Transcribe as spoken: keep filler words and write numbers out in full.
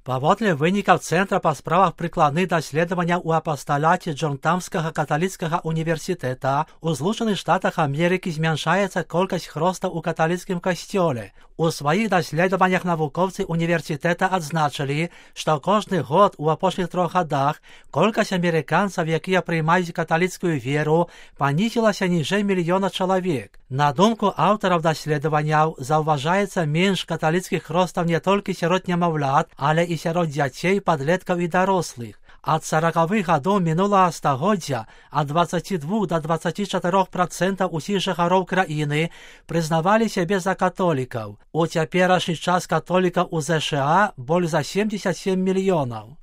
Паводле вынікаў Цэнтра па справах прыкладных даследаванняў у апасталяце Джонтамскага каталіцкага універсітэта, у Злучаных Штатах Амерыкі змяншаецца колькасць хростаў у каталіцкім касцёле. У сваіх даследаваннях навукоўцы універсітэта адзначылі, што кожны год у апошніх трох гадах колькасць амерыканцаў, якія прыймаюць каталіцкую веру, панізілася ніжэй мільёна чалавек. На думку аўтараў даследаванняў, заўважаецца менш каталіцкіх хростаў не толькі сярод нямаўлят, але і сярод дзяцей, падлеткаў і дарослых. Ад саракавых гадоў мінулага стагоддзя ад дваццаці двух да дваццаці чатырох працэнтаў усіх жыхароў краіны прызнавалі сябе за католікаў. У цяперашні час католікаў у ЗША больш за семдзесят сем мільёнаў.